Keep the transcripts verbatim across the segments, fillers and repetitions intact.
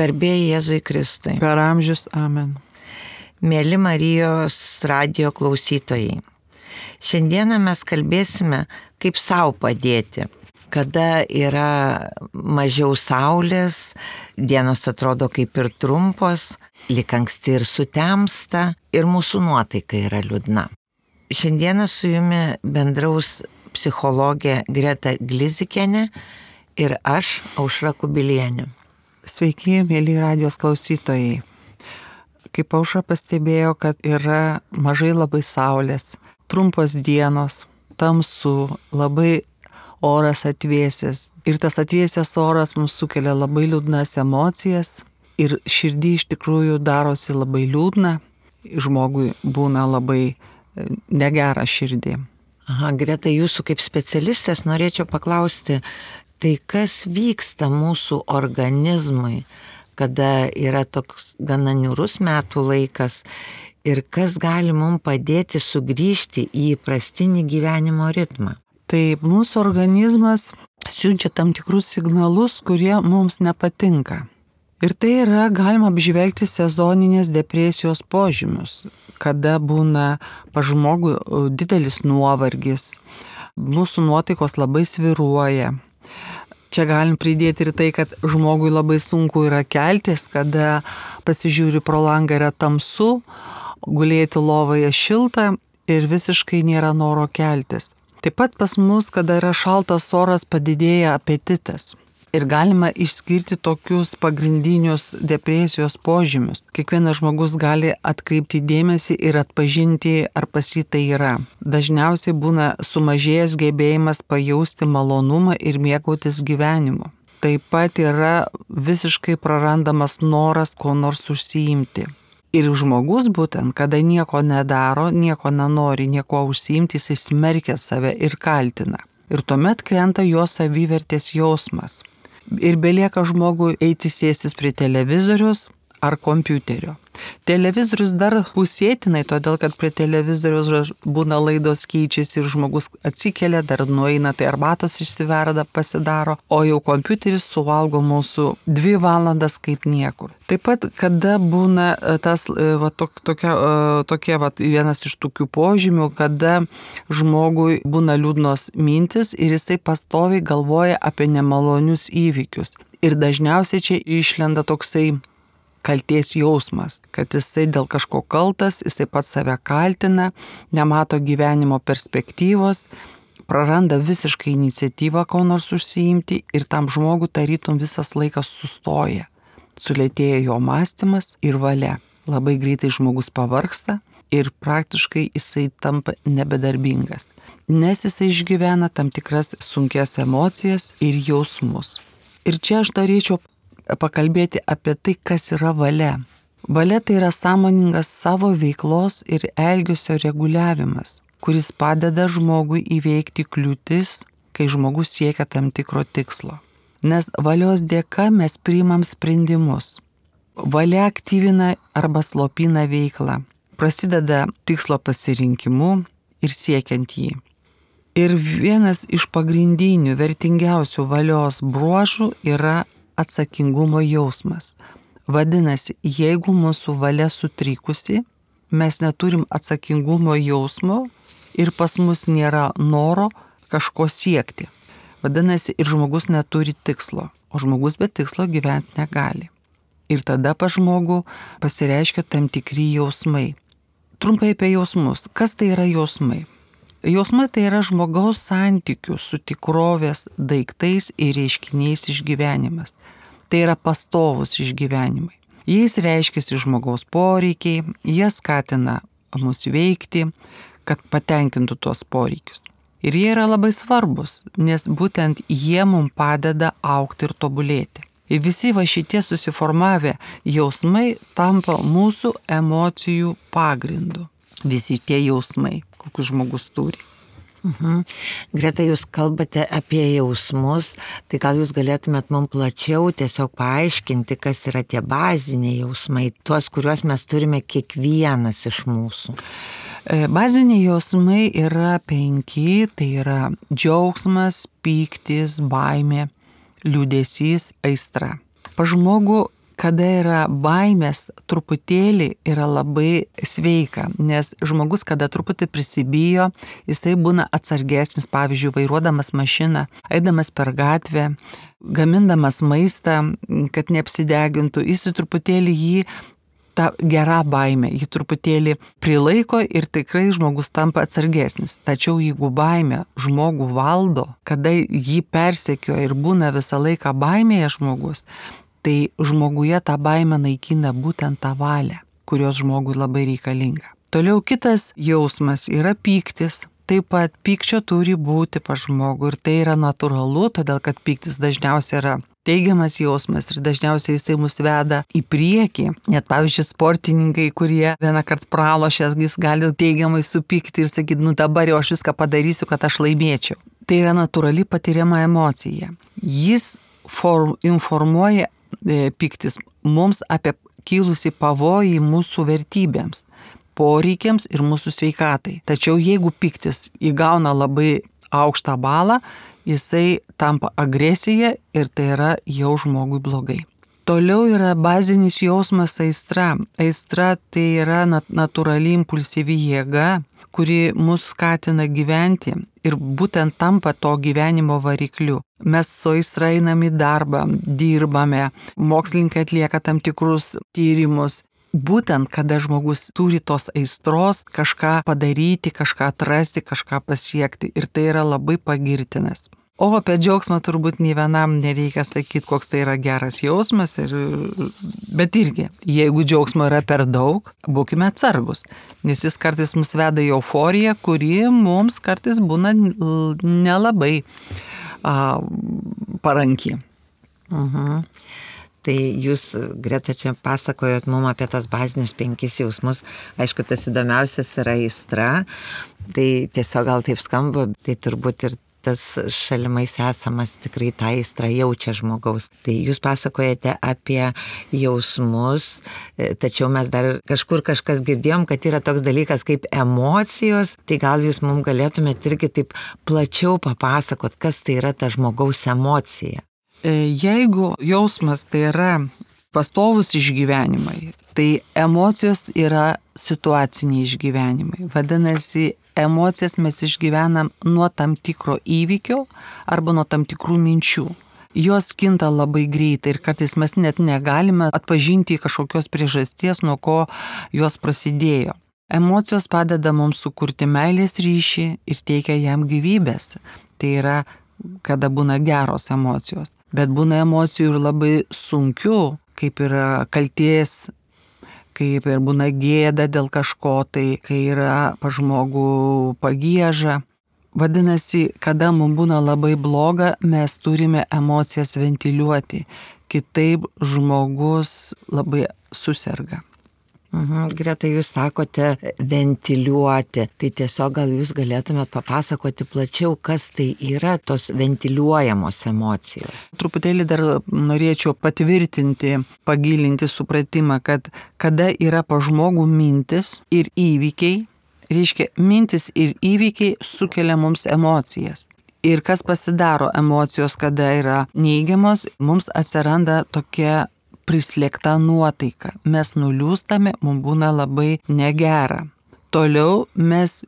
Garbė Jėzui Kristui. Per amžius. Amen. Mėly Marijos radijo klausytojai, šiandieną mes kalbėsime, kaip sau padėti. Kada yra mažiau saulės, dienos atrodo kaip ir trumpos, lyg anksti ir sutemsta ir mūsų nuotaika yra liūdna. Šiandieną su jumi bendraus psichologė Greta Glizikienė ir aš, Aušra Kubilienė. Sveiki, mėly radijos klausytojai. Kaip Aušra pastebėjo, kad yra mažai labai saulės, trumpos dienos, tamsu, labai oras atvėsęs. Ir tas atvėsęs oras mums sukelia labai liūdnas emocijas ir širdį iš tikrųjų darosi labai liūdna, žmogui būna labai negera širdį. Aha, Greta, jūsų kaip specialistės norėčiau paklausti, tai kas vyksta mūsų organizmui, kada yra toks gana niūrus metų laikas ir kas gali mums padėti sugrįžti į įprastinį gyvenimo ritmą? Tai mūsų organizmas siunčia tam tikrus signalus, kurie mums nepatinka. Ir tai yra galima apžvelgti sezoninės depresijos požymius, kada būna pa žmogui didelis nuovargis, mūsų nuotaikos labai svyruoja. Čia galim pridėti ir tai, kad žmogui labai sunku yra keltis, kada pasižiūri pro langą yra tamsu, gulėti lovoje šilta ir visiškai nėra noro keltis. Taip pat pas mus, kada yra šaltas oras, padidėja apetitas. Ir galima išskirti tokius pagrindinius depresijos požymius. Kiekvienas žmogus gali atkreipti dėmesį ir atpažinti, ar pas jį tai yra. Dažniausiai būna sumažėjęs gebėjimas pajausti malonumą ir mėgautis gyvenimu. Taip pat yra visiškai prarandamas noras ko nors užsiimti. Ir žmogus būtent, kada nieko nedaro, nieko nenori, nieko užsiimti, jis smerkia save ir kaltina. Ir tuomet krenta jo savivertės jausmas. Ir belieka žmogui eiti sėstis prie televizorius ar kompiuterio. Televizorius dar pusėtinai, todėl kad prie televizorius būna laidos keičiasi ir žmogus atsikelia, dar nueina, tai arbatos išsiverda, pasidaro, o jau kompiuteris suvalgo mūsų dvi valandas kaip niekur. Taip pat, kada būna tas, va, tok, tokia, tokia va, vienas iš tokių požymių, kada žmogui būna liūdnos mintis ir jisai pastoviai galvoja apie nemalonius įvykius. Ir dažniausiai čia išlenda toksai kaltės jausmas, kad jisai dėl kažko kaltas, jisai pats save kaltina, nemato gyvenimo perspektyvos, praranda visiškai iniciatyvą ko nors užsiimti ir tam žmogui tarytum visas laikas sustoja. Sulėtėja jo mąstymas ir valia. Labai greitai žmogus pavargsta ir praktiškai jisai tampa nebedarbingas, nes jisai išgyvena tam tikras sunkias emocijas ir jausmus. Ir čia aš norėčiau pakalbėti apie tai, kas yra valia. Valia tai yra sąmoningas savo veiklos ir elgesio reguliavimas, kuris padeda žmogui įveikti kliūtis, kai žmogus siekia tam tikro tikslo. Nes valios dėka mes priimam sprendimus. Valia aktyvina arba slopina veiklą. Prasideda tikslo pasirinkimu ir siekiant jį. Ir vienas iš pagrindinių, vertingiausių valios bruožų yra atsakingumo jausmas. Vadinasi, jeigu mūsų valia sutrikusi, mes neturim atsakingumo jausmo ir pas mus nėra noro kažko siekti. Vadinasi, ir žmogus neturi tikslo, o žmogus be tikslo gyventi negali. Ir tada pas žmogų pasireiškia tam tikri jausmai. Trumpai apie jausmus. Kas tai yra jausmai? Jausmai tai yra žmogaus santykių su tikrovės daiktais ir reiškiniais išgyvenimas. Tai yra pastovus išgyvenimai. Jais reiškiasi žmogaus poreikiai, jie skatina mus veikti, kad patenkintų tuos poreikius. Ir jie yra labai svarbus, nes būtent jie mums padeda augti ir tobulėti. Ir visi va šitie susiformavę jausmai tampa mūsų emocijų pagrindu. Visi tie jausmai, kokius žmogus turi. Mhm. Greta, jūs kalbate apie jausmus, tai gal jūs galėtumėt mums plačiau tiesiog paaiškinti, kas yra tie baziniai jausmai, tuos, kuriuos mes turime kiekvienas iš mūsų. Baziniai jausmai yra penki, tai yra džiaugsmas, pyktis, baimė, liūdesys, aistra. Pa žmogų kada yra baimės, truputėlį yra labai sveika, nes žmogus, kada truputį prisibijo, jisai būna atsargesnis, pavyzdžiui, vairuodamas mašiną, eidamas per gatvę, gamindamas maistą, kad neapsidegintų, jis truputėlį jį ta gera baimė, jį truputėlį prilaiko ir tikrai žmogus tampa atsargesnis. Tačiau jeigu baimė žmogų valdo, kada jį persekioja ir būna visą laiką baimėje žmogus, tai žmoguje tą baimę naikina būtent tą valią, kurios žmogui labai reikalinga. Toliau kitas jausmas yra pyktis. Taip pat pykčio turi būti pas žmogų ir tai yra natūralu, todėl kad pyktis dažniausiai yra teigiamas jausmas ir dažniausiai jisai mus veda į priekį. Net pavyzdžiui, sportininkai, kurie vieną kartą pralošė, jis gali teigiamai supykti ir sakyti, nu dabar jau aš viską padarysiu, kad aš laimėčiau. Tai yra natūrali patiriama emocija. Jis form, informuoja e, pyktis mums apie kilusį pavojį mūsų vertybėms, poreikiams ir mūsų sveikatai. Tačiau jeigu pyktis įgauna labai aukštą balą, jisai tampa agresija ir tai yra jau žmogui blogai. Toliau yra bazinis jausmas aistra. Aistra tai yra natūrali impulsyvi jėga, kuri mus skatina gyventi ir būtent tampa to gyvenimo varikliu. Mes su aistra einam į darbą, dirbame, mokslininkai atlieka tam tikrus tyrimus. Būtent, kada žmogus turi tos aistros kažką padaryti, kažką atrasti, kažką pasiekti ir tai yra labai pagirtinas. O apie džiaugsmą turbūt nei vienam nereikia sakyti, koks tai yra geras jausmas, ir, bet irgi, jeigu džiaugsmo yra per daug, būkime atsargus, nes jis kartais mus veda į euforiją, kuri mums kartais būna nelabai a, paranki. Mhm. Tai jūs, Greta, čia pasakojot mums apie tos bazinius penkis jausmus. Aišku, tas įdomiausias yra aistra. Tai tiesiog gal taip skamba, tai turbūt ir tas šalimais esamas tikrai tą aistrą jaučia žmogaus. Tai jūs pasakojate apie jausmus, tačiau mes dar kažkur kažkas girdėjom, kad yra toks dalykas kaip emocijos. Tai gal jūs mums galėtumėte irgi taip plačiau papasakot, kas tai yra ta žmogaus emocija. Jeigu jausmas tai yra pastovus išgyvenimai, tai emocijos yra situaciniai išgyvenimai. Vadinasi, emocijas mes išgyvenam nuo tam tikro įvykio arba nuo tam tikrų minčių. Jos kinta labai greitai ir kartais mes net negalime atpažinti kažkokios priežasties, nuo ko jos prasidėjo. Emocijos padeda mums sukurti meilės ryšį ir teikia jam gyvybės. Tai yra kada būna geros emocijos. Bet būna emocijų ir labai sunkių, kaip yra kaltės, kaip ir būna gėda dėl kažko, tai kai yra pa žmogų pagieža. Vadinasi, kada mums būna labai bloga, mes turime emocijas ventiliuoti. Kitaip žmogus labai suserga. Mhm, Greta, jūs sakote ventiliuoti, tai tiesiog gal jūs galėtumėt papasakoti plačiau, kas tai yra tos ventiliuojamos emocijos. Truputėlį dar norėčiau patvirtinti, pagilinti supratimą, kad kada yra pa žmogų mintis ir įvykiai, reiškia, mintis ir įvykiai sukelia mums emocijas. Ir kas pasidaro emocijos, kada yra neigiamos, mums atsiranda tokia prislėgta nuotaika. Mes nuliūstame, mums būna labai negera. Toliau mes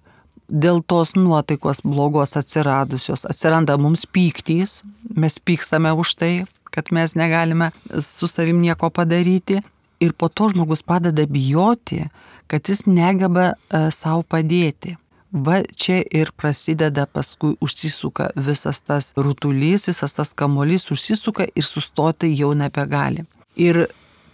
dėl tos nuotaikos blogos atsiradusios atsiranda mums pyktys, mes pykstame už tai, kad mes negalime su savim nieko padaryti. Ir po to žmogus padeda bijoti, kad jis negeba e, savo padėti. Va čia ir prasideda, paskui užsisuka visas tas rutulys, visas tas kamuolys užsisuka ir sustoti jau nebegali. Ir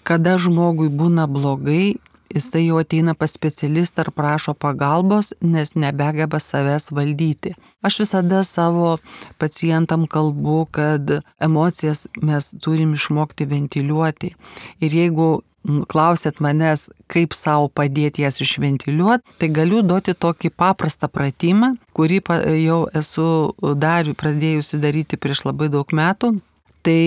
kada žmogui būna blogai, jisai jau ateina pas specialistą ir prašo pagalbos, nes nebegeba savęs valdyti. Aš visada savo pacientam kalbu, kad emocijas mes turim išmokti ventiliuoti. Ir jeigu klausėt manęs, kaip savo padėti jas išventiliuoti, tai galiu duoti tokį paprastą pratimą, kurį jau esu dar pradėjusi daryti prieš labai daug metų. Tai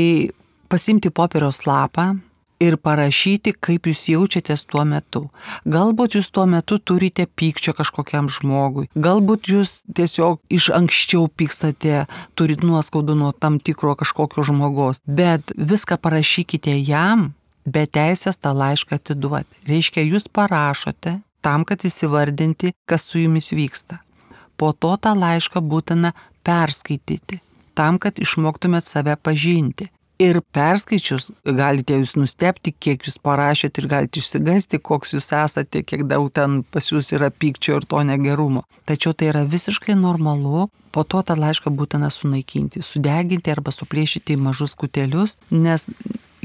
pasimti popieriaus lapą ir parašyti, kaip jūs jaučiatės tuo metu. Galbūt jūs tuo metu turite pykčio kažkokiam žmogui. Galbūt jūs tiesiog iš anksčiau pykstate, turit nuoskaudų nuo tam tikro kažkokio žmogaus. Bet viską parašykite jam be teisės tą laišką atiduoti. Reiškia, jūs parašote tam, kad įsivardinti, kas su jumis vyksta. Po to tą laišką būtina perskaityti, tam, kad išmoktumėt save pažinti. Ir perskaičius galite jūs nustebti, kiek jūs parašėt ir galite išsigasti, koks jūs esate, kiek daug ten pas jūs yra pykčio ir to negerumo. Tačiau tai yra visiškai normalu, po to tą laišką būtina sunaikinti, sudeginti arba suplėšyti į mažus kutelius, nes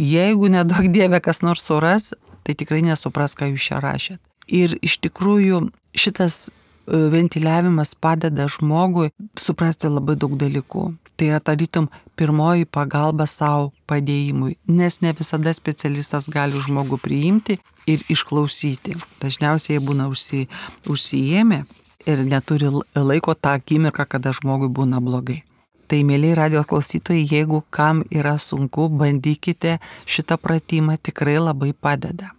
jeigu nedaug dieve kas nors suras, tai tikrai nesupras, ką jūs čia rašėt. Ir iš tikrųjų šitas ventiliavimas padeda žmogui suprasti labai daug dalykų. Tai yra tarytum pirmoji pagalba savo padėjimui, nes ne visada specialistas gali žmogų priimti ir išklausyti. Dažniausiai jie būna užsi, užsijėmę ir neturi laiko tą akimirką, kada žmogui būna blogai. Tai, mėlyje radijos klausytojai, jeigu kam yra sunku, bandykite šitą pratimą, tikrai labai padeda.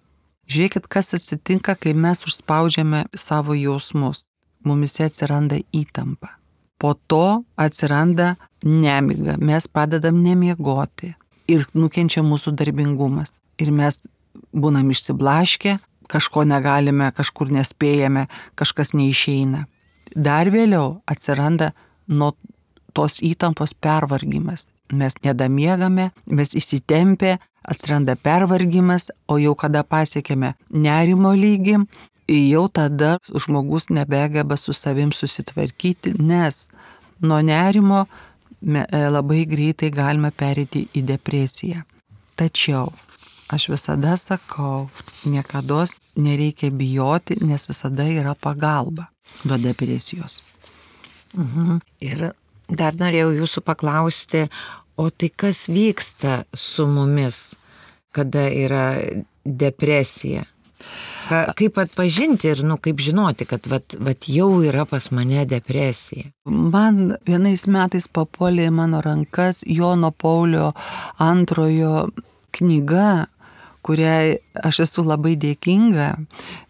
Žiūrėkit, kas atsitinka, kai mes užspaudžiame savo jausmus. Mumise atsiranda įtampa. Po to atsiranda nemiga, mes pradedam nemiegoti ir nukenčia mūsų darbingumas. Ir mes būnam išsiblaškę, kažko negalime, kažkur nespėjame, kažkas neišeina. Dar vėliau atsiranda nuo tos įtampos pervargimas. Mes nedamiegame, mes įsitempę, atsiranda pervargimas, o jau kada pasiekėme nerimo lygį, jau tada žmogus nebegeba su savim susitvarkyti, nes nuo nerimo labai greitai galima pereiti į depresiją. Tačiau aš visada sakau, niekados nereikia bijoti, nes visada yra pagalba nuo depresijos. Mhm. Ir dar norėjau jūsų paklausti, o tai kas vyksta su mumis, kada yra depresija? Ka, kaip atpažinti ir, nu, kaip žinoti, kad vat, vat jau yra pas mane depresija? Man vienais metais papuolė į mano rankas Jono Paulio antrojo knyga, kuriai aš esu labai dėkinga,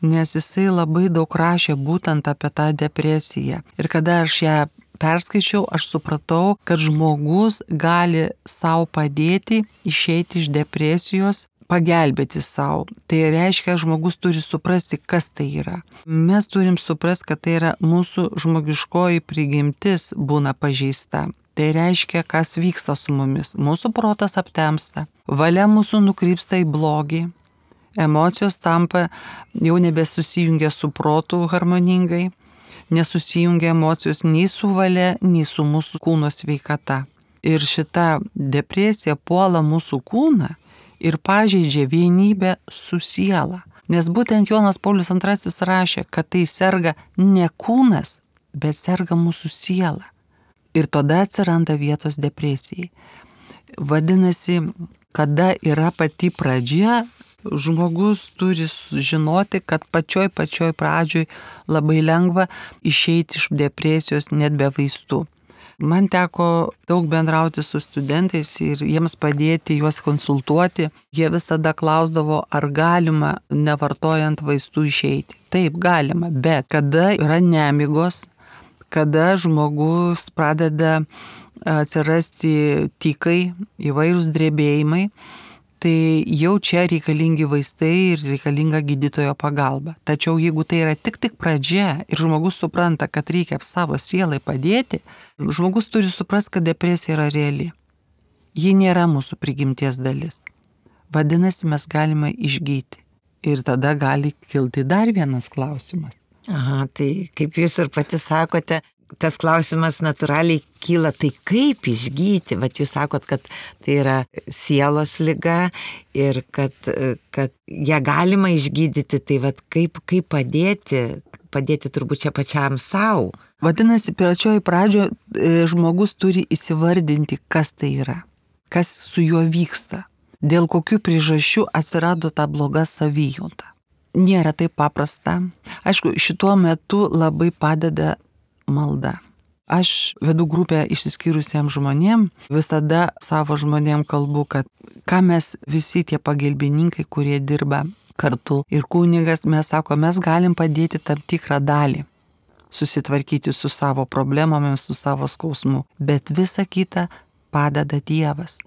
nes jisai labai daug rašė būtent apie tą depresiją. Ir kada aš ją perskaičiau, aš supratau, kad žmogus gali savo padėti išeiti iš depresijos, pagelbėti savo. Tai reiškia, žmogus turi suprasti, kas tai yra. Mes turim suprasti, kad tai yra mūsų žmogiškoji prigimtis būna pažeista. Tai reiškia, kas vyksta su mumis. Mūsų protas aptemsta, valia mūsų nukrypsta į blogį, emocijos tampa jau nebesusijungia su protu harmoningai, nesusijungia emocijos nei su valia, nei su mūsų kūno sveikata. Ir šita depresija puola mūsų kūną ir pažeidžia vienybę su siela. Nes būtent Jonas Paulius antrasis rašė, kad tai serga ne kūnas, bet serga mūsų siela. Ir tada atsiranda vietos depresijai. Vadinasi, kada yra pati pradžia, žmogus turi žinoti, kad pačioj pačioj pradžioj labai lengva išeiti iš depresijos net be vaistų. Man teko daug bendrauti su studentais ir jiems padėti, juos konsultuoti. Jie visada klausdavo, ar galima nevartojant vaistų išeiti. Taip, galima, bet kada yra nemigos, kada žmogus pradeda atsirasti tykai, įvairūs drebėjimai, tai jau čia reikalingi vaistai ir reikalinga gydytojo pagalba. Tačiau jeigu tai yra tik tik pradžia ir žmogus supranta, kad reikia savo sielai padėti, žmogus turi suprasti, kad depresija yra reali. Ji nėra mūsų prigimties dalis. Vadinasi, mes galime išgyti. Ir tada gali kilti dar vienas klausimas. Aha, tai kaip jūs ir pati sakote, tas klausimas natūraliai kyla, tai kaip išgyti? Vat jūs sakot, kad tai yra sielos liga ir kad, kad ją galima išgydyti, tai vat kaip, kaip padėti, padėti turbūt čia pačiam savo. Vadinasi, pačioj pradžioje žmogus turi įsivardinti, kas tai yra, kas su juo vyksta, dėl kokių priežasčių atsirado ta bloga savijauta. Nėra taip paprasta. Aišku, šituo metu labai padeda malda. Aš vedu grupę išsiskyrusiems žmonėm, visada savo žmonėm kalbu, kad ką mes visi tie pagalbininkai, kurie dirba kartu ir kunigas, mes sako, mes galim padėti tam tikrą dalį, susitvarkyti su savo problemomis, su savo skausmu, bet visa kita padeda Dievas.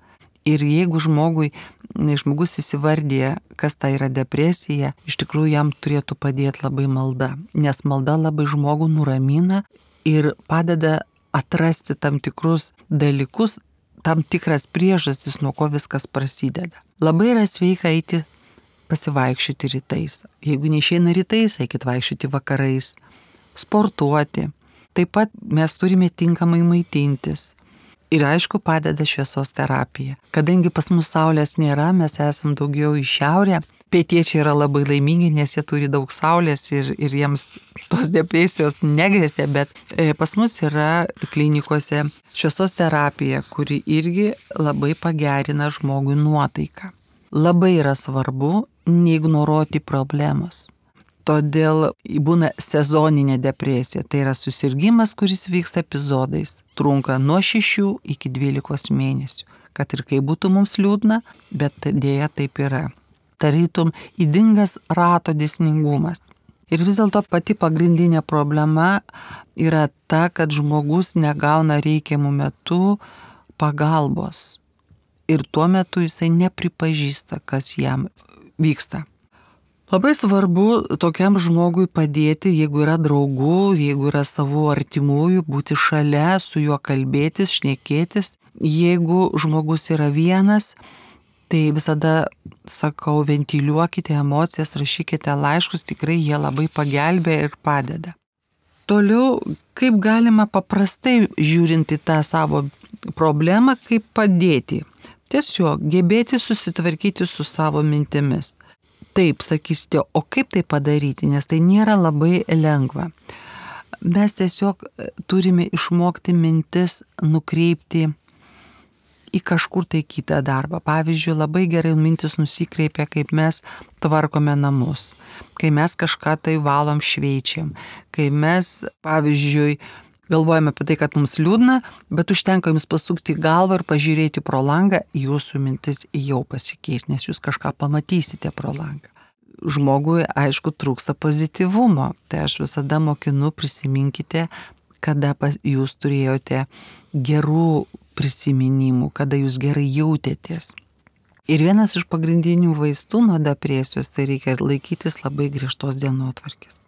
Ir jeigu žmogui, žmogus įsivardė, kas tai yra depresija, iš tikrųjų jam turėtų padėti labai malda, nes malda labai žmogų nuramina ir padeda atrasti tam tikrus dalykus, tam tikras priežastis, nuo ko viskas prasideda. Labai yra sveika eiti pasivaikščioti rytais. Jeigu neišeina rytais, eikit vaikščioti vakarais, sportuoti. Taip pat mes turime tinkamai maitintis. Ir aišku, padeda šviesos terapija. Kadangi pas mus saulės nėra, mes esam daugiau į šiaurę. Pietiečiai yra labai laimingi, nes jie turi daug saulės ir, ir jiems tos depresijos negresia, bet pas mus yra klinikose šviesos terapija, kuri irgi labai pagerina žmogui nuotaiką. Labai yra svarbu neignoruoti problemos. Todėl būna sezoninė depresija. Tai yra susirgymas, kuris vyksta epizodais. Trunka nuo šešių iki dvylikos mėnesių. Kad ir kaip būtų mums liūdna, bet dėja taip yra. Tarytum ydingas rato dėsningumas. Ir vis dėlto pati pagrindinė problema yra ta, kad žmogus negauna reikiamų metų pagalbos. Ir tuo metu jisai nepripažįsta, kas jam vyksta. Labai svarbu tokiam žmogui padėti, jeigu yra draugų, jeigu yra savų artimųjų, būti šalia, su juo kalbėtis, šnekėtis. Jeigu žmogus yra vienas, tai visada sakau, ventiliuokite emocijas, rašykite laiškus, tikrai jie labai pagelbėja ir padeda. Toliau, kaip galima paprastai žiūrinti tą savo problemą, kaip padėti. Tiesiog gebėti susitvarkyti su savo mintimis. Taip, sakysite, o kaip tai padaryti, nes tai nėra labai lengva. Mes tiesiog turime išmokti mintis nukreipti į kažkur tai kitą darbą. Pavyzdžiui, labai gerai mintis nusikreipia, kaip mes tvarkome namus, kai mes kažką tai valom, šveičiam, kai mes, pavyzdžiui, galvojame apie tai, kad mums liūdna, bet užtenka jums pasukti galvą ir pažiūrėti pro langą, jūsų mintis jau pasikeis, nes jūs kažką pamatysite pro langą. Žmogui, aišku, trūksta pozityvumo. Tai aš visada mokinu, prisiminkite, kada jūs turėjote gerų prisiminimų, kada jūs gerai jautėtės. Ir vienas iš pagrindinių vaistų nuo depresijos, tai reikia laikytis labai griežtos dienotvarkės.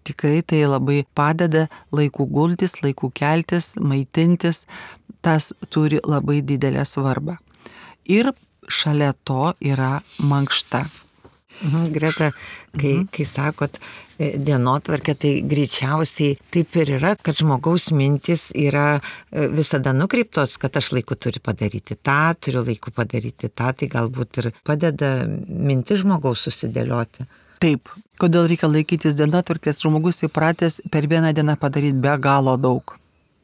Tikrai tai labai padeda laiku gultis, laiku keltis, maitintis, tas turi labai didelę svarbą. Ir šalia to yra mankšta. Mhm, Greta, kai, mhm. kai sakot dienotvarkė, tai greičiausiai taip ir yra, kad žmogaus mintis yra visada nukreiptos, kad aš laiku turiu padaryti tą, turiu laiku padaryti tą, tai galbūt ir padeda mintis žmogaus susidėlioti. Taip, kodėl reikia laikytis dienotvarkės, žmogus įpratęs per vieną dieną padaryti be galo daug.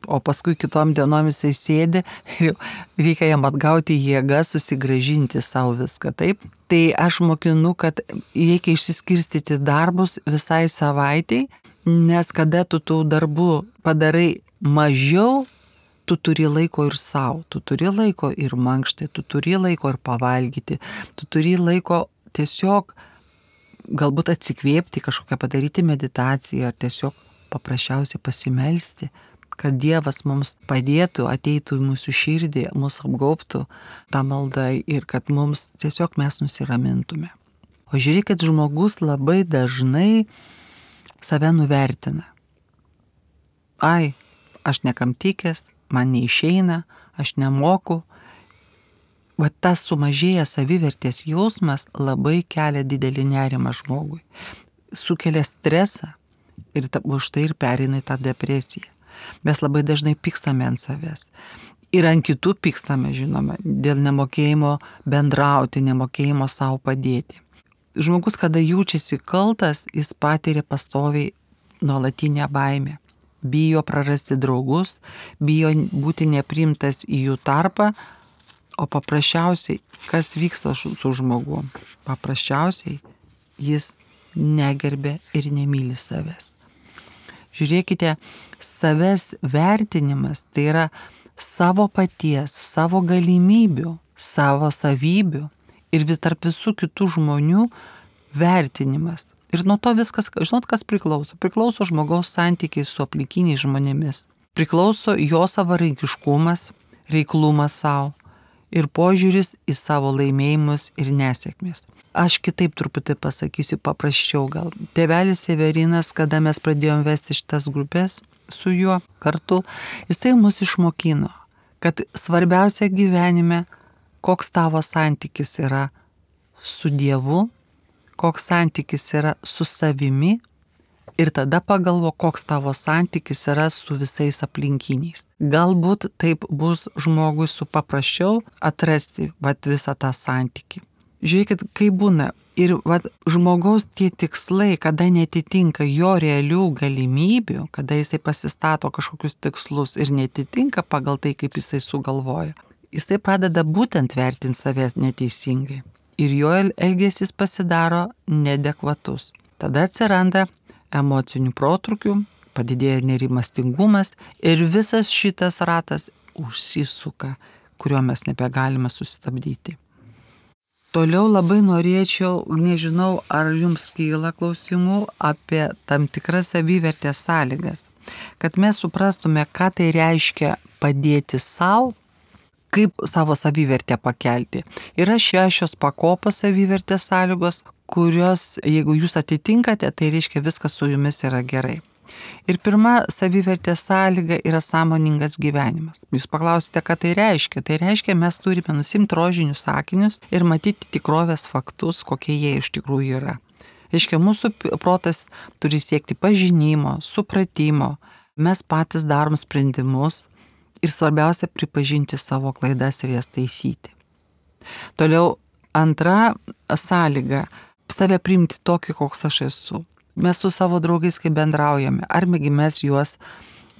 O paskui kitom dienom jisai sėdi ir reikia jam atgauti jėgą, susigrąžinti savo viską, taip? Tai aš mokinu, kad reikia išsiskirstyti darbus visai savaitei, nes kada tu tų darbų padarai mažiau, tu turi laiko ir savo, tu turi laiko ir mankštai, tu turi laiko ir pavalgyti, tu turi laiko tiesiog galbūt atsikvėpti, kažkokią padaryti meditaciją ar tiesiog paprasčiausiai pasimelsti, kad Dievas mums padėtų, ateitų į mūsų širdį, mūsų apgaubtų tą maldą ir kad mums tiesiog mes nusiramintume. O žiūrėkit, žmogus labai dažnai save nuvertina. Ai, aš nekam tikęs, man neišeina, aš nemoku. Va tas sumažėjęs savivertės jausmas labai kelia didelį nerimą žmogui. Sukelia stresą ir už tai ir pereina į tą depresiją. Mes labai dažnai pykstame ant savęs. Ir ant kitų pykstame, žinoma, dėl nemokėjimo bendrauti, nemokėjimo savo padėti. Žmogus, kada jaučiasi kaltas, jis patiria pastoviai nuolatinę baimę. Bijo prarasti draugus, bijo būti nepriimtas į jų tarpą, o paprasčiausiai, kas vyksta su žmogu? Paprasčiausiai jis negerbė ir nemyli savęs. Žiūrėkite, savęs vertinimas tai yra savo paties, savo galimybių, savo savybių ir vis tarp visų kitų žmonių vertinimas. Ir nuo to viskas, žinot, kas priklauso? Priklauso žmogaus santykiai su aplinkiniais žmonėmis. Priklauso jo savarankiškumas, reiklumas savo. ir požiūris į savo laimėjimus ir nesėkmės. Aš kitaip truputį pasakysiu, paprasčiau gal. Tėvelis Severinas, kada mes pradėjom vesti šitas grupės su juo kartu, jisai mus išmokino, kad svarbiausia gyvenime, koks tavo santykis yra su Dievu, koks santykis yra su savimi ir tada pagalvo, koks tavo santykis yra su visais aplinkiniais. Galbūt taip bus žmogui su paprasčiau atrasti vat, visą tą santykį. Žiūrėkit, kaip būna. Ir vat, žmogaus tie tikslai, kada netitinka jo realių galimybių, kada jisai pasistato kažkokius tikslus ir netitinka pagal tai, kaip jisai sugalvoja, jisai pradeda būtent vertinti save neteisingai. Ir jo elgesys pasidaro neadekvatus. Tada atsiranda emocinių protrukių, padidėja nerimastingumas ir visas šitas ratas užsisuka, kurio mes nebegalime sustabdyti. Toliau labai norėčiau, nežinau, ar jums kyla klausimų apie tam tikras savivertės sąlygas, kad mes suprastume, ką tai reiškia padėti savo, kaip savo savivertę pakelti. Yra šešios pakopos savivertės sąlygos, kurios, jeigu jūs atitinkate, tai reiškia viskas su jumis yra gerai. Ir pirma savivertės sąlyga yra sąmoningas gyvenimas. Jūs paklausite, ką tai reiškia. Tai reiškia, mes turime nusimti rožinius sakinius ir matyti tikrovės faktus, kokie jie iš tikrųjų yra. Reiškia, mūsų protas turi siekti pažinimo, supratimo. Mes patys darom sprendimus ir svarbiausia pripažinti savo klaidas ir jas taisyti. Toliau antra sąlyga - save priimti tokį, koks aš esu. Mes su savo draugais, kai bendraujame, argi mes juos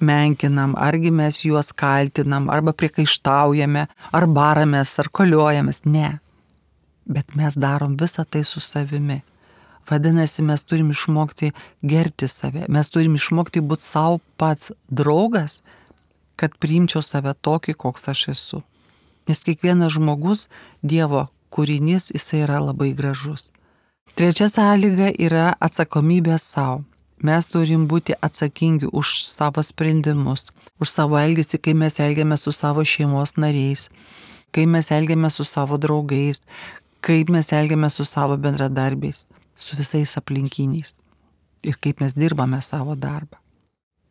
menkinam, argi mes juos kaltinam, arba priekaištaujame, ar baramės, ar koliojamės. Ne. Bet mes darom visą tai su savimi. Vadinasi, mes turim išmokti gerbti save, mes turim išmokti būti savo pats draugas, kad priimčiau save tokį, koks aš esu. Nes kiekvienas žmogus, Dievo kūrinys, jisai yra labai gražus. Trečia sąlyga yra atsakomybė savo. Mes turim būti atsakingi už savo sprendimus, už savo elgesį, kai mes elgiamės su savo šeimos nariais, kai mes elgiamės su savo draugais, kaip mes elgiamės su savo bendradarbiais, su visais aplinkiniais ir kaip mes dirbame savo darbą.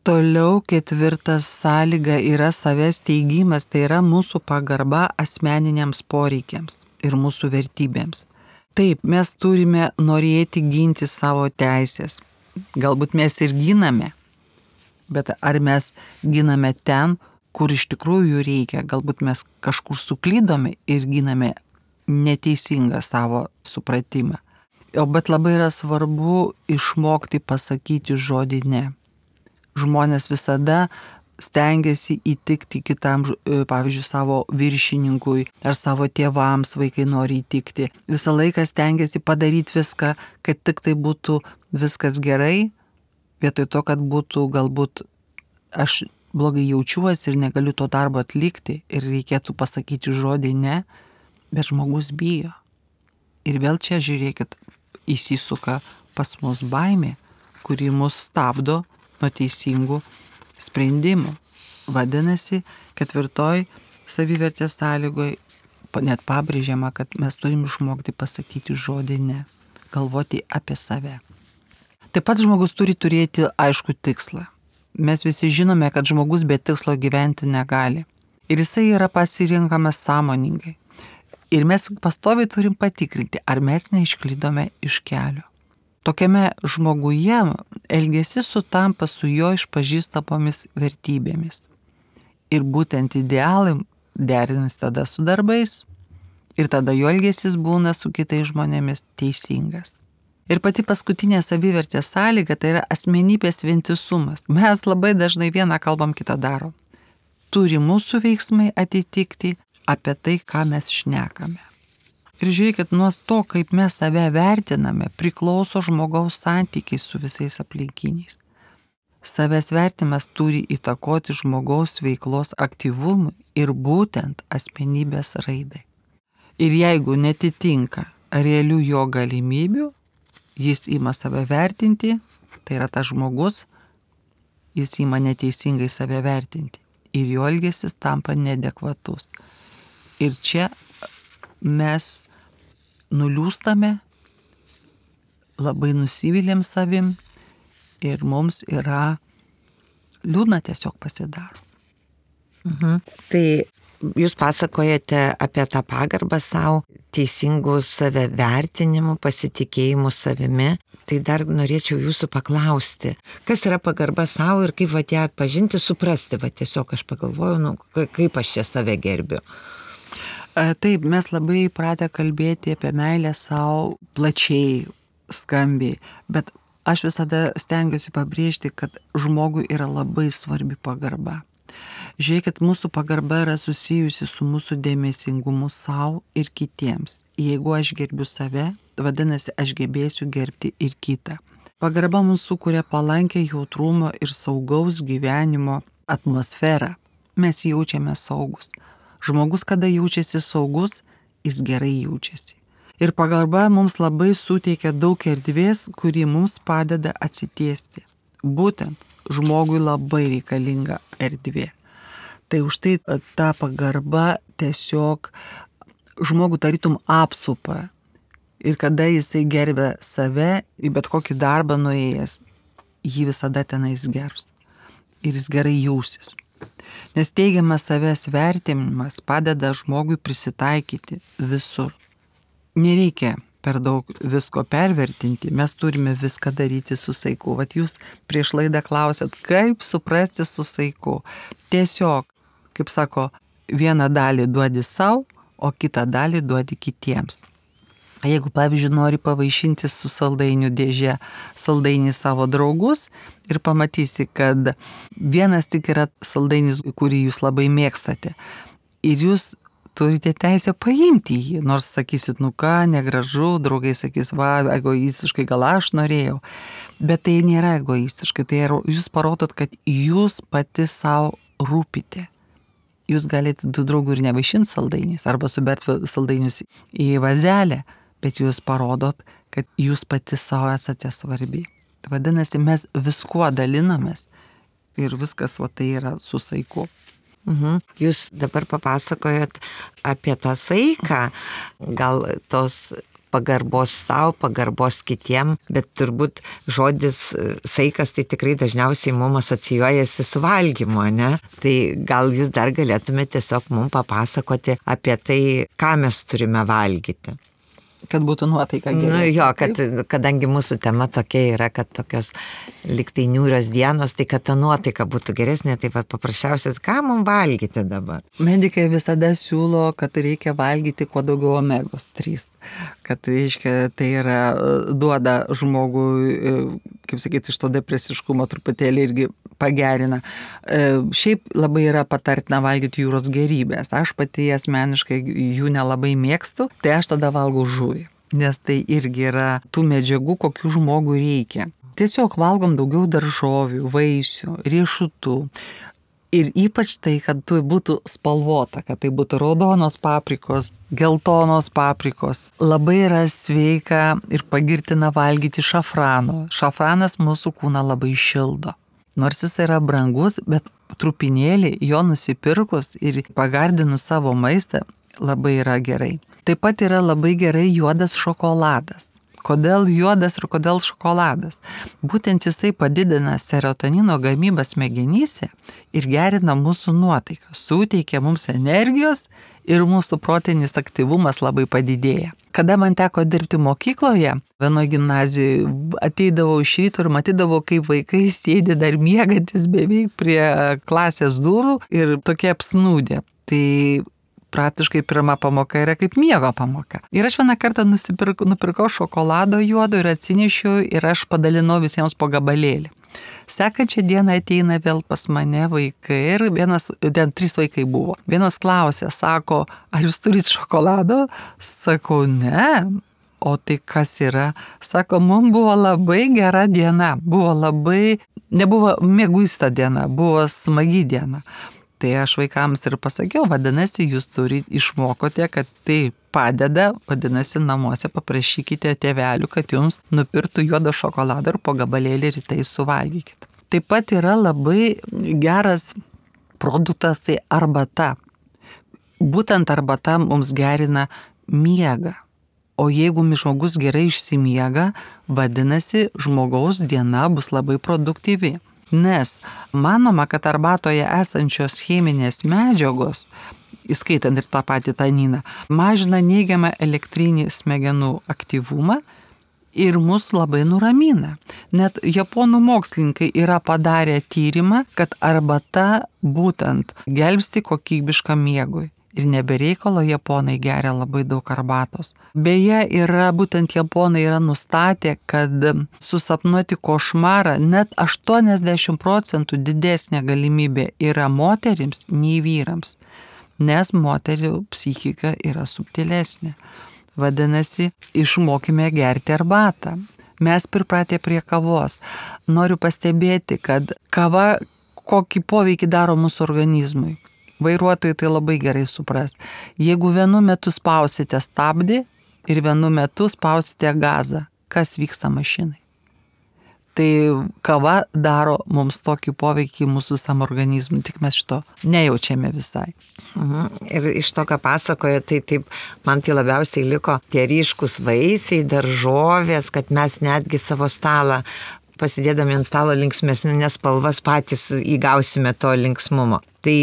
Toliau ketvirtas sąlyga yra savęs teigimas, tai yra mūsų pagarba asmeniniams poreikiams ir mūsų vertybėms. Taip, mes turime norėti ginti savo teisės. Galbūt mes ir giname, bet ar mes giname ten, kur iš tikrųjų reikia? Galbūt mes kažkur suklydome ir giname neteisingą savo supratimą. O bet labai yra svarbu išmokti pasakyti žodį ne. Žmonės visada stengiasi įtikti kitam, pavyzdžiui, savo viršininkui ar savo tėvams, vaikai nori įtikti. Visą laiką stengiasi padaryti viską, kad tik tai būtų viskas gerai, vietoj to, kad būtų galbūt aš blogai jaučiuosi ir negaliu to darbo atlikti ir reikėtų pasakyti žodį ne, bet žmogus bijo. Ir vėl čia žiūrėkit, įsisuka pas mus baimė, kuri mus stabdo nuo teisingų sprendimų. Vadinasi, ketvirtoj savivertės sąlygoje net pabrėžiama, kad mes turim išmokti pasakyti žodį ne, galvoti apie save. Taip pat žmogus turi turėti aišku tikslą. Mes visi žinome, kad žmogus be tikslo gyventi negali. Ir jisai yra pasirinkamas sąmoningai. Ir mes pastoviai turim patikrinti, ar mes neišklydome iš kelio. Tokiame žmoguje elgesys sutampa su jo išpažįstamomis vertybėmis. Ir būtent idealai derinas tada su darbais ir tada jo elgesys būna su kitais žmonėmis teisingas. Ir pati paskutinė savivertės sąlyga tai yra asmenybės vientisumas. Mes labai dažnai vieną kalbam, kitą darom. Turi mūsų veiksmai atitikti apie tai, ką mes šnekame. Ir žiūrėkit, nuo to, kaip mes save vertiname, priklauso žmogaus santykiai su visais aplinkiniais. Savęs vertimas turi įtakoti žmogaus veiklos aktyvumui ir būtent asmenybės raidai. Ir jeigu netitinka realių jo galimybių, jis ima save vertinti, tai yra tas žmogus, jis ima neteisingai save vertinti ir jo elgesys tampa neadekvatus. Ir čia mes nuliūstame, labai nusivylėm savim ir mums yra liūdna tiesiog pasidaro. Mhm. Tai jūs pasakojate apie tą pagarbą savo, teisingų save vertinimų, pasitikėjimų savimi. Tai dar norėčiau jūsų paklausti, kas yra pagarba savo ir kaip va ją atpažinti, suprasti, va tiesiog aš pagalvoju, nu, kaip aš čia save gerbiu. Taip, mes labai įpratę kalbėti apie meilę savo plačiai, skambiai, bet aš visada stengiuosi pabrėžti, kad žmogui yra labai svarbi pagarba. Žiūrėkit, mūsų pagarba yra susijusi su mūsų dėmesingumu savo ir kitiems. Jeigu aš gerbiu save, vadinasi, aš gebėsiu gerbti ir kitą. Pagarba mums sukuria palankę jautrumo ir saugaus gyvenimo atmosferą. Mes jaučiame saugus. Žmogus, kada jaučiasi saugus, jis gerai jaučiasi. Ir pagarba mums labai suteikia daug erdvės, kuri mums padeda atsitiesti. Būtent žmogui labai reikalinga erdvė. Tai už tai ta pagarba tiesiog žmogų tarytum apsupa. Ir kada jisai gerbia save, į bet kokį darbą nuėjęs, jį visada tenais gerbs. Ir jis gerai jausis. Nes teigiamas savęs vertinimas padeda žmogui prisitaikyti visur. Nereikia per daug visko pervertinti, mes turime viską daryti su saiku. Vat jūs prieš laidą klausėt, kaip suprasti su saiku. Tiesiog, kaip sako, vieną dalį duodi savo, o kitą dalį duodi kitiems. Jeigu, pavyzdžiui, nori pavaišinti su saldainių dėžė saldainį savo draugus ir pamatysi, kad vienas tik yra saldainis, kurį jūs labai mėgstate. Ir jūs turite teisę paimti jį, nors sakysit, nu ką, negražu, draugai sakys, va, egoistiškai gal aš norėjau. Bet tai nėra egoistiškai, tai yra, jūs parodot, kad jūs pati savo rūpite. Jūs galite du draugų ir nevaišinti saldainiais arba suberti saldainius į vazelę, bet jūs parodot, kad jūs pati savo esate svarbi. Vadinasi, mes viskuo dalinamės ir viskas va tai yra su saiku. Mhm. Jūs dabar papasakojot apie tą saiką, gal tos pagarbos savo, pagarbos kitiem, bet turbūt žodis saikas tai tikrai dažniausiai mums asocijuojasi su valgymu, ne? Tai gal jūs dar galėtumėte tiesiog mums papasakoti apie tai, ką mes turime valgyti. Kad būtų nuotaika geresnė. Nu jo, kad, kadangi mūsų tema tokia yra, kad tokios liktai niūrios dienos, tai kad ta nuotaika būtų geresnė, tai paprasčiausias, ką mums valgyti dabar? Medikai visada siūlo, kad reikia valgyti kuo daugiau omegos trys. Kad, reiškia, tai yra, duoda žmogui, kaip sakyti, iš to depresiškumo truputėlį irgi pagerina. Šiaip labai yra patartina valgyti jūros gėrybės. Aš pati asmeniškai jų nelabai mėgstu, tai aš tada valgau žuvį. Nes tai irgi yra tų medžiagų, kokių žmogui reikia. Tiesiog valgom daugiau daržovių, vaisių, riešutų. Ir ypač tai, kad tai būtų spalvota, kad tai būtų raudonos paprikos, geltonos paprikos. Labai yra sveika ir pagirtina valgyti šafrano. Šafranas mūsų kūną labai šildo. Nors jis yra brangus, bet trupinėlį jo nusipirkus ir pagardinus savo maistą labai yra gerai. Taip pat yra labai gerai juodas šokoladas. Kodėl juodas ir kodėl šokoladas? Būtent jisai padidina serotonino gamybą smegenyse ir gerina mūsų nuotaiką, suteikia mums energijos ir mūsų protinis aktyvumas labai padidėja. Kada man teko dirbti mokykloje, vienoje gimnazijoje, ateidavau iš ryto ir matydavau, kaip vaikai sėdi dar miegantis beveik prie klasės durų ir tokie apsnūdė. Tai praktiškai pirma pamoka yra kaip miego pamoka. Ir aš vieną kartą nusipirkau, nupirkau šokolado juodo ir atsinešiau ir aš padalinau visiems po gabalėlį. Sekančią dieną ateina vėl pas mane vaikai ir vienas, ten trys vaikai buvo. Vienas klausė, sako, ar jūs turit šokolado? Sakau, ne. O tai kas yra? Sako, mums buvo labai gera diena. Buvo labai, nebuvo mieguista diena, buvo smagi diena. Tai aš vaikams ir pasakiau, vadinasi, jūs turite išmokote, kad tai padeda, vadinasi, namuose paprašykite tėvelių, kad jums nupirktų juodo šokolado ir po gabalėlį rytai suvalgykite. Taip pat yra labai geras produktas, tai arbata. būtent arbata mums gerina miegą. O jeigu žmogus gerai išsimiega, vadinasi, žmogaus diena bus labai produktyvi. Nes manoma, kad arbatoje esančios cheminės medžiagos, įskaitant ir tą patį taniną, mažina neigiamą elektrinį smegenų aktyvumą ir mus labai nuramina. Net japonų mokslininkai yra padarę tyrimą, kad arbata būtent gelbsti kokybiškam miegui. Ir nebereikalo japonai geria labai daug arbatos. Beje, yra būtent japonai yra nustatę, kad susapnuoti košmarą net aštuoniasdešimt procentų didesnė galimybė yra moterims nei vyrams, nes moterių psichika yra subtilesnė. Vadinasi, išmokime gerti arbatą. Mes pripratę prie kavos. Noriu pastebėti, kad kava kokį poveikį daro mūsų organizmui. Vairuotojai tai labai gerai supras. Jeigu vienu metu spausite stabdį ir vienu metu spausite gazą, kas vyksta mašinai? Tai kava daro mums tokį poveikį mūsų visam organizmui, tik mes šito nejaučiame visai. Mhm. Ir iš to, ką pasakoja, tai taip, man tai labiausiai liko tie ryškus vaisiai, daržovės, kad mes netgi savo stalą pasidėdami ant stalo linksmesnės spalvas patys įgausime to linksmumo. Tai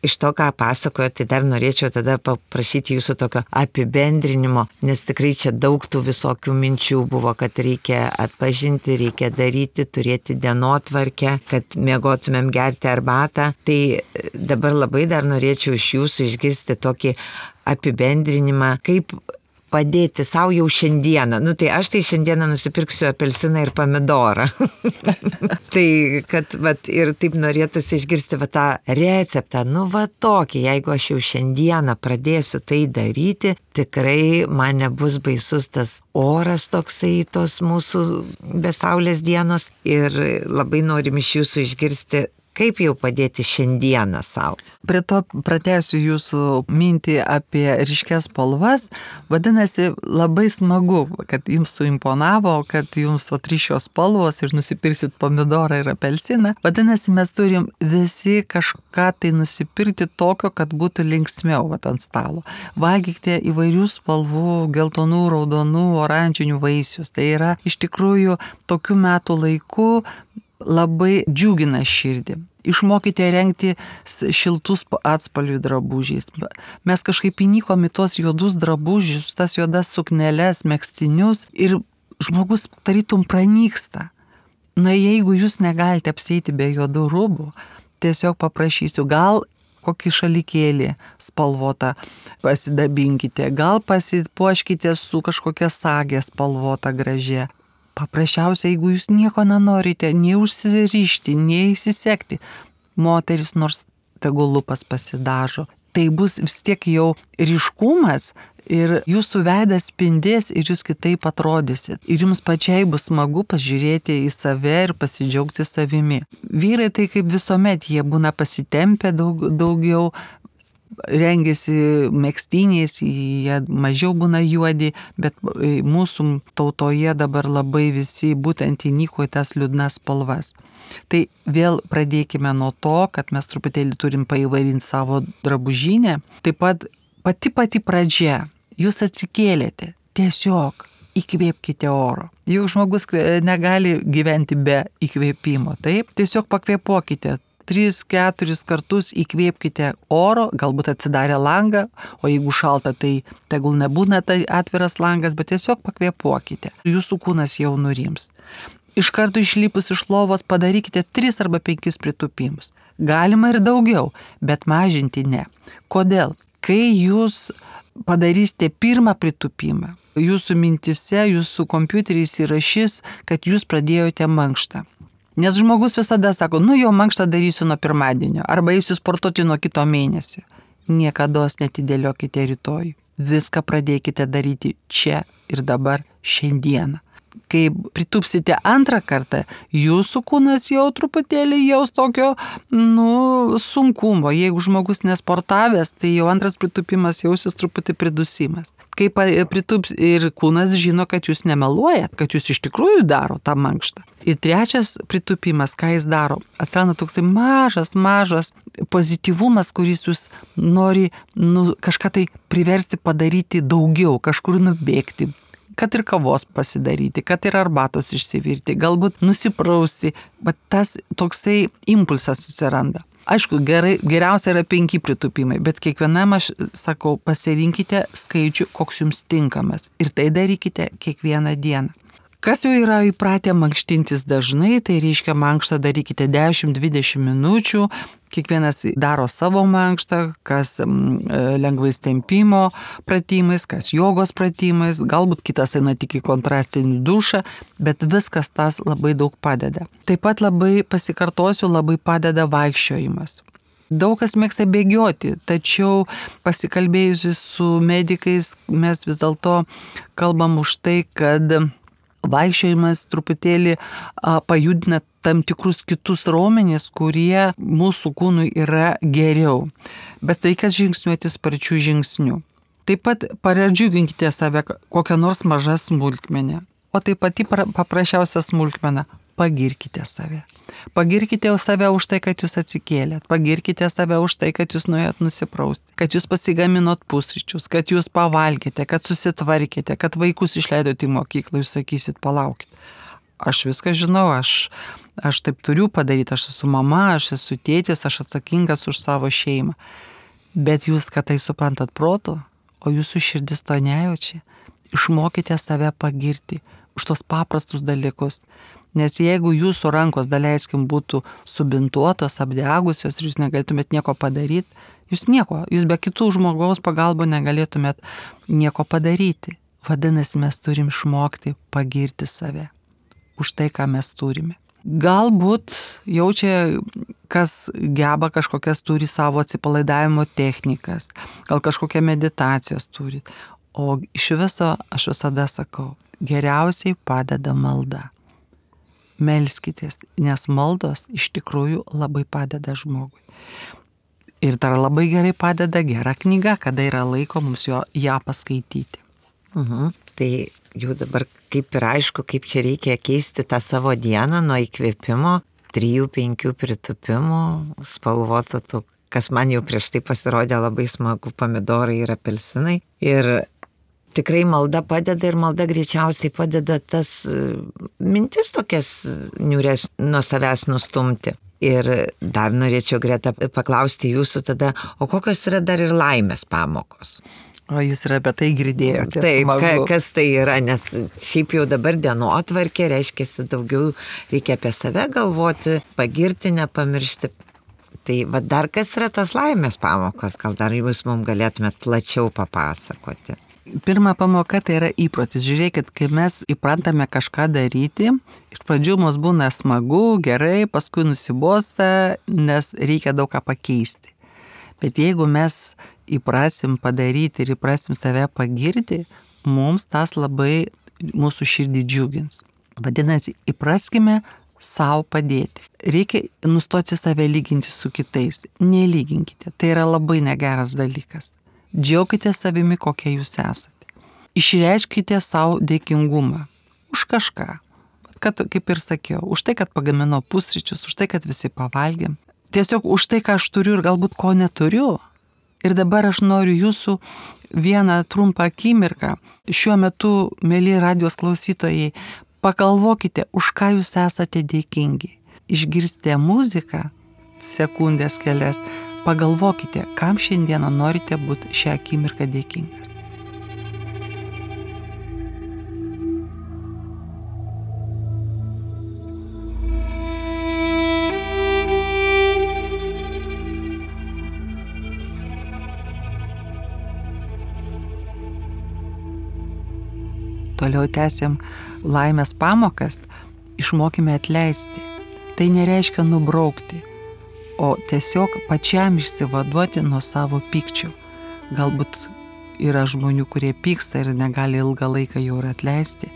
iš to, ką pasakojo, tai dar norėčiau tada paprašyti jūsų tokio apibendrinimo, nes tikrai čia daug tų visokių minčių buvo, kad reikia atpažinti, reikia daryti, turėti dienotvarkę, kad miegotumėm gerti arbatą. Tai dabar labai dar norėčiau iš jūsų išgirsti tokį apibendrinimą, kaip padėti savo jau šiandieną. Nu tai aš tai šiandieną nusipirksiu apelsiną ir pomidorą. Tai, kad vat, ir taip norėtųsi išgirsti va, tą receptą. Nu va tokį, jeigu aš jau šiandieną pradėsiu tai daryti, tikrai man nebus baisus tas oras toksai, tos mūsų besaulės dienos. Ir labai norim iš jūsų išgirsti, kaip jau padėti šiandieną savo. Prie to pratęsiu jūsų mintį apie ryškias spalvas. Vadinasi, labai smagu, kad jums suimponavo, kad jums o ryškios spalvos ir nusipirsit pomidorą ir apelsiną. Vadinasi, mes turim visi kažką tai nusipirkti tokio, kad būtų linksmiau vat, ant stalo. Valgykite įvairių spalvų, geltonų, raudonų, oranžinių vaisius. Tai yra iš tikrųjų tokių metų laikų labai džiugina širdį. Išmokite rengti šiltus atspalvių drabužiais. Mes kažkaip įnikom į tos juodus drabužius, tas juodas sukneles, megztinius ir žmogus tarytum pranyksta. Na jeigu jūs negalite apsieiti be juodų rūbų, tiesiog paprašysiu, gal kokį šalikėlį spalvotą pasidabinkite, gal pasipuoškite su kažkokia sagė spalvota gražia. Paprasčiausiai, jeigu jūs nieko nenorite, nei užsirišti, nei įsisekti, moteris nors tegul lūpas pasidažo, tai bus vis tiek jau ryškumas ir jūsų veidas spindės ir jūs kitaip atrodysit. Ir jums pačiai bus smagu pažiūrėti į save ir pasidžiaugti savimi. Vyrai tai kaip visuomet, jie būna pasitempę daug, daugiau, rengiasi megztiniais, jie mažiau būna juodi, bet mūsų tautoje dabar labai visi būtent įnyko į tas liūdnas spalvas. Tai vėl pradėkime nuo to, kad mes truputėlį turim paįvairinti savo drabužinę. Taip pat pati pati pradžia, jūs atsikėlėte, tiesiog įkvėpkite oro. Juk žmogus negali gyventi be įkvėpimo, taip? Tiesiog pakvėpuokite. Tris, keturis kartus įkvėpkite oro, galbūt atsidarę langą, o jeigu šalta, tai tegul nebūna tai atviras langas, bet tiesiog pakvėpuokite. Jūsų kūnas jau nurims. Iš karto išlipus iš lovos padarykite tris arba penkis pritūpimus. Galima ir daugiau, bet mažinti ne. Kodėl? Kai jūs padarysite pirmą pritūpimą, jūsų mintise, jūsų kompiuteris įrašys, kad jūs pradėjote mankštą. Nes žmogus visada sako, nu jau mankštą darysiu nuo pirmadienio, arba eisiu sportuoti nuo kito mėnesio. Niekados netidėliokite rytoj. Viską pradėkite daryti čia ir dabar šiandieną. kai pritupsite antrą kartą, jūsų kūnas jau truputėlį jaus tokio, nu, sunkumo. Jeigu žmogus nesportavęs, tai jau antras pritupimas jausis truputį pridusimas. Kai pritups ir kūnas žino, kad jūs nemeluojat, kad jūs iš tikrųjų daro tą mankštą. Ir trečias pritupimas, ką jis daro, atsiranda toksai mažas, mažas pozityvumas, kuris jūs nori nu, kažką tai priversti padaryti daugiau, kažkur nubėgti. Kad ir kavos pasidaryti, kad ir arbatos išsivirti, galbūt nusiprausti, bet tas toksai impulsas atsiranda. Aišku, gerai, geriausia yra penki pritupimai, bet kiekvienam aš sakau, pasirinkite skaičių, koks jums tinkamas ir tai darykite kiekvieną dieną. Kas jau yra įpratę mankštintis dažnai, tai reiškia mankštą darykite dešimt dvidešimt minučių, kiekvienas daro savo mankštą, kas lengvais tempimo pratimais, kas jogos pratimais, galbūt kitas eina tik į kontrastinį dušą, bet viskas tas labai daug padeda. Taip pat labai pasikartosiu, labai padeda vaikščiojimas. Daug kas mėgsta bėgioti, tačiau pasikalbėjusi su medikais mes vis dėlto kalbam už tai, kad vaikščiojimas truputėlį a, pajudina tam tikrus kitus raumenis, kurie mūsų kūnui yra geriau. Bet reikia žingsniuoti sparčių žingsnių. Taip pat pradžiuginkite save kokią nors mažą smulkmenę. O taip pati paprasčiausia smulkmena – pagirkite save. Pagirkite save už tai, kad jūs atsikėlėt. Pagirkite save už tai, kad jūs nuėjot nusiprausti. Kad jūs pasigaminot pusryčius, kad jūs pavalgėte, kad susitvarkėte, kad vaikus išleidote į mokyklą. Jūs sakysit, palaukit. Aš viską žinau, aš, aš taip turiu padaryti. Aš esu mama, aš esu tėtis, aš atsakingas už savo šeimą. Bet jūs, kad tai suprantat protu, o jūsų širdis to nejaučia, išmokite save pagirti už tos paprastus dalykus. Nes jeigu jūsų rankos, daleiskim, būtų subintuotos, apdegusios ir jūs negalėtumėt nieko padaryti, jūs nieko, jūs be kitų žmogaus pagalbų negalėtumėt nieko padaryti. Vadinasi, mes turim išmokti pagirti save už tai, ką mes turime. Galbūt jaučia, kas geba kažkokias turi savo atsipalaidavimo technikas, gal kažkokią meditacijos turi. O iš viso aš visada sakau, geriausiai padeda malda. Melskitės, nes maldos iš tikrųjų labai padeda žmogui. Ir dar labai gerai padeda gera knyga, kada yra laiko mums jo, ją paskaityti. Mhm. Tai jau dabar kaip ir aišku, kaip čia reikia keisti tą savo dieną nuo įkvėpimo, trijų, penkių pritupimų, spalvotų, tų, kas man jau prieš tai pasirodė labai smagu, pomidorai ir apelsinai. Ir tikrai malda padeda ir malda greičiausiai padeda tas mintis tokias niūrės nuo savęs nustumti. Ir dar norėčiau, Greta, paklausti jūsų tada, o kokios yra dar ir laimės pamokos? O jūs ir apie tai girdėjote. Taip, ka, kas tai yra, nes šiaip jau dabar dienotvarkė, reiškia, daugiau reikia apie save galvoti, pagirti, nepamiršti. Tai va dar kas yra tas laimės pamokos, gal dar jūs mums galėtumėt plačiau papasakoti. Pirma pamoka tai yra įprotis. Žiūrėkit, kai mes įprantame kažką daryti, iš pradžių mums būna smagu, gerai, paskui nusibosta, nes reikia daug ką pakeisti. Bet jeigu mes įprasim padaryti ir įprasim save pagirti, mums tas labai mūsų širdį džiugins. Vadinasi, įpraskime savo padėti. Reikia nustoti save lyginti su kitais. Nelyginkite. Tai yra labai negeras dalykas. Džiaukite savimi, kokie jūs esate. Išreiškite savo dėkingumą už kažką. Kad, kaip ir sakiau, už tai, kad pagaminau pusryčius, už tai, kad visi pavalgėm. Tiesiog už tai, ką aš turiu ir galbūt ko neturiu. Ir dabar aš noriu jūsų vieną trumpą akimirką. Šiuo metu, mėly radijos klausytojai, pagalvokite, už ką jūs esate dėkingi. Išgirstite muziką, sekundės kelias. Pagalvokite, kam šiandieną norite būti šią akimirką dėkingas. Toliau tęsiam laimės pamokas, išmokime atleisti. Tai nereiškia nubraukti, o tiesiog pačiam išsivaduoti nuo savo pykčių. Galbūt yra žmonių, kurie pyksta ir negali ilgą laiką jau ir atleisti.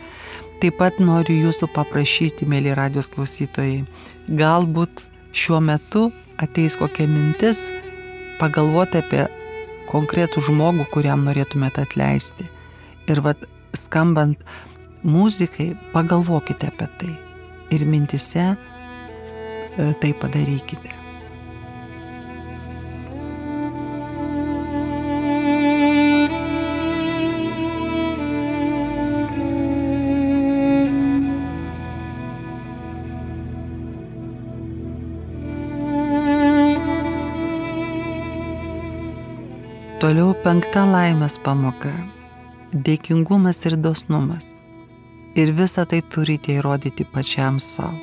Taip pat noriu jūsų paprašyti, mėly radijos klausytojai, galbūt šiuo metu ateis kokia mintis pagalvoti apie konkretų žmogų, kuriam norėtumėte atleisti. Ir vat skambant muzikai, pagalvokite apie tai ir mintise tai padarykite. Toliau penkta laimės pamoka – dėkingumas ir dosnumas. Ir visą tai turite įrodyti pačiam savo.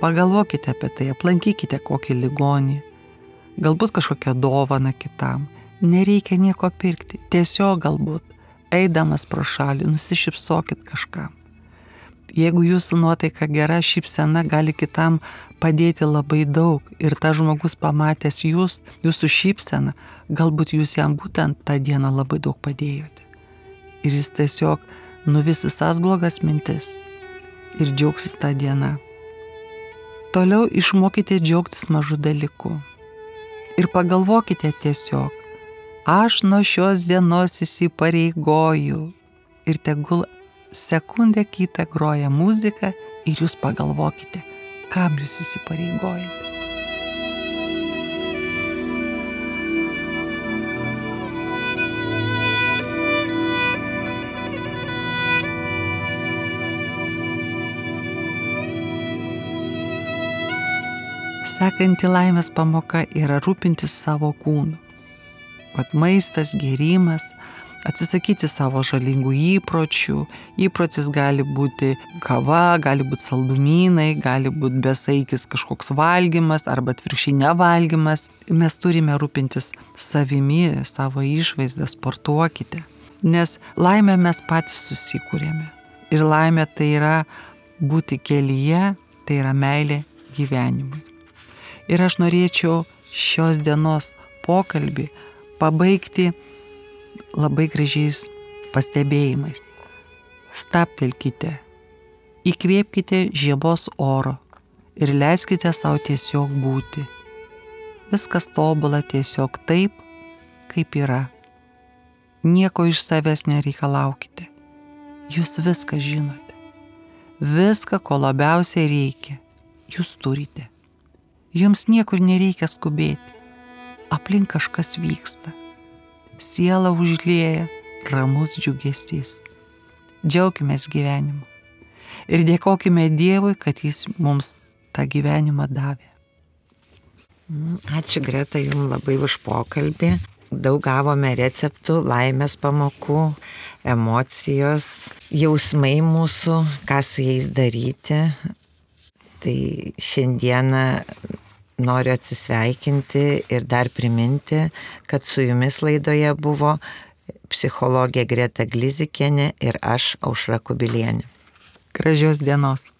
Pagalvokite apie tai, aplankykite kokį ligonį, galbūt kažkokią dovaną kitam. Nereikia nieko pirkti, tiesiog galbūt, eidamas pro šalį, nusišypsokit kažkam. Jeigu jūsų nuotaika gera, šypsena gali kitam padėti labai daug ir tas žmogus pamatęs jūs, jūsų šypseną, galbūt jūs jam būtent tą dieną labai daug padėjote. Ir jis tiesiog nuvis visas blogas mintis ir džiaugsis tą dieną. Toliau išmokite džiaugtis mažų dalykų. Ir pagalvokite tiesiog, aš nuo šios dienos įsipareigoju ir tegul sekundę kitą groja muzika ir jūs pagalvokite, kam jūs įsipareigojate. Sekanti laimės pamoka yra rūpintis savo kūnu. Vat maistas, gėrimas, atsisakyti savo žalingų įpročių. Įprotis gali būti kava, gali būti saldumynai, gali būti besaikis kažkoks valgymas arba atvirkščiai nevalgymas. Mes turime rūpintis savimi, savo išvaizdą, sportuokite. Nes laimę mes patys susikūrėme. Ir laimė tai yra būti kelyje, tai yra meilė gyvenimui. Ir aš norėčiau šios dienos pokalbį pabaigti labai gražiais pastebėjimais. Stabtelkite, įkvėpkite žiemos oro ir leiskite savo tiesiog būti. Viskas tobula tiesiog taip, kaip yra. Nieko iš savęs nereikalaukite. Jūs viską žinote. Viską, ko labiausiai reikia, jūs turite. Jums niekur nereikia skubėti. Aplink kažkas vyksta. Siela užlieja ramus džiugesys. Džiaukimės gyvenimu. Ir dėkokime Dievui, kad Jis mums tą gyvenimą davė. Ačiū, Greta, jums labai už pokalbį. Daug gavome receptų, laimės pamokų, emocijos, jausmai mūsų, ką su jais daryti. Tai šiandieną noriu atsisveikinti ir dar priminti, kad su jumis laidoje buvo psichologė Greta Glizikienė ir aš, Aušra Kubilienė. Gražios dienos.